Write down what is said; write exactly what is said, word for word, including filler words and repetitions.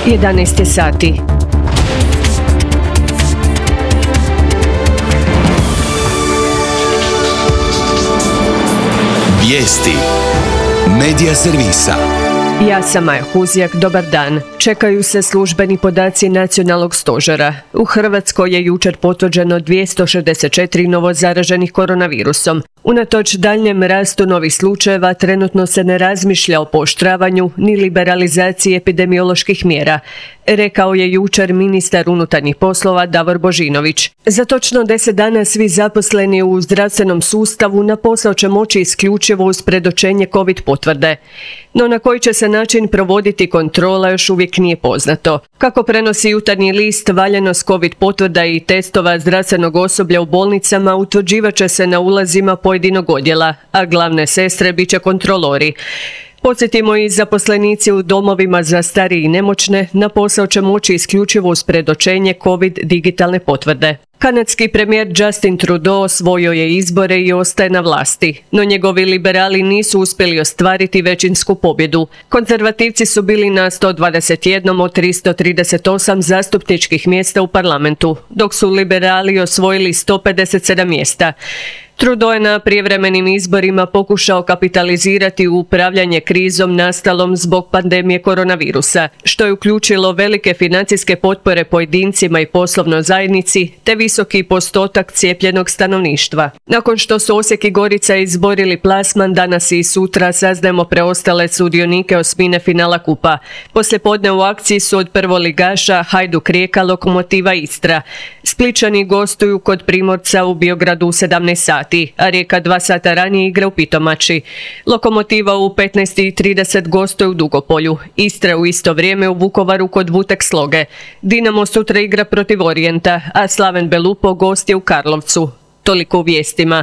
jedanaest je sati. Vijesti Medija servisa. Ja sam Maja Huzjak, dobar dan. Čekaju se službeni podaci nacionalnog stožera. U Hrvatskoj je jučer potvrđeno dvjesto šezdeset četiri novo zaraženih koronavirusom. Unatoč daljnjem rastu novih slučajeva, trenutno se ne razmišlja o pooštravanju ni liberalizaciji epidemioloških mjera, rekao je jučer ministar unutarnjih poslova Davor Božinović. Za točno deset dana svi zaposleni u zdravstvenom sustavu na posao će moći isključivo uz predočenje COVID potvrde. No na koji će se način provoditi kontrola još uvijek nije poznato. Kako prenosi Jutarnji list, valjanost COVID potvrda i testova zdravstvenog osoblja u bolnicama utvrđivat će se na ulazima pojedinog odjela, a glavne sestre bit će kontrolori. Podsjetimo, i zaposlenici u domovima za starije i nemoćne na posao će moći isključivo uz predočenje COVID digitalne potvrde. Kanadski premijer Justin Trudeau osvojio je izbore i ostaje na vlasti, no njegovi liberali nisu uspjeli ostvariti većinsku pobjedu. Konzervativci su bili na sto dvadeset jedan od tristo trideset osam zastupničkih mjesta u parlamentu, dok su liberali osvojili sto pedeset sedam mjesta. Trudeau je na prijevremenim izborima pokušao kapitalizirati upravljanje krizom nastalom zbog pandemije koronavirusa, što je uključilo velike financijske potpore pojedincima i poslovnoj zajednici, te visoki postotak cijepljenog stanovništva. Nakon što su Osijek i Gorica izborili plasman, danas i sutra saznajemo preostale sudionike osmine finala kupa. Poslijepodne u akciji su od prvoligaša Hajduk Rijeka, Lokomotiva Istra. Splićani gostuju kod Primorca u Biogradu u sedamnaest sati, a Rijeka dva sata ranije igra u Pitomači. Lokomotiva u petnaest i trideset gostuje u Dugopolju. Istra u isto vrijeme u Vukovaru kod Vutek Sloge. Dinamo sutra igra protiv Orijenta, a Slaven Belupo gost je u Karlovcu. Toliko u vijestima.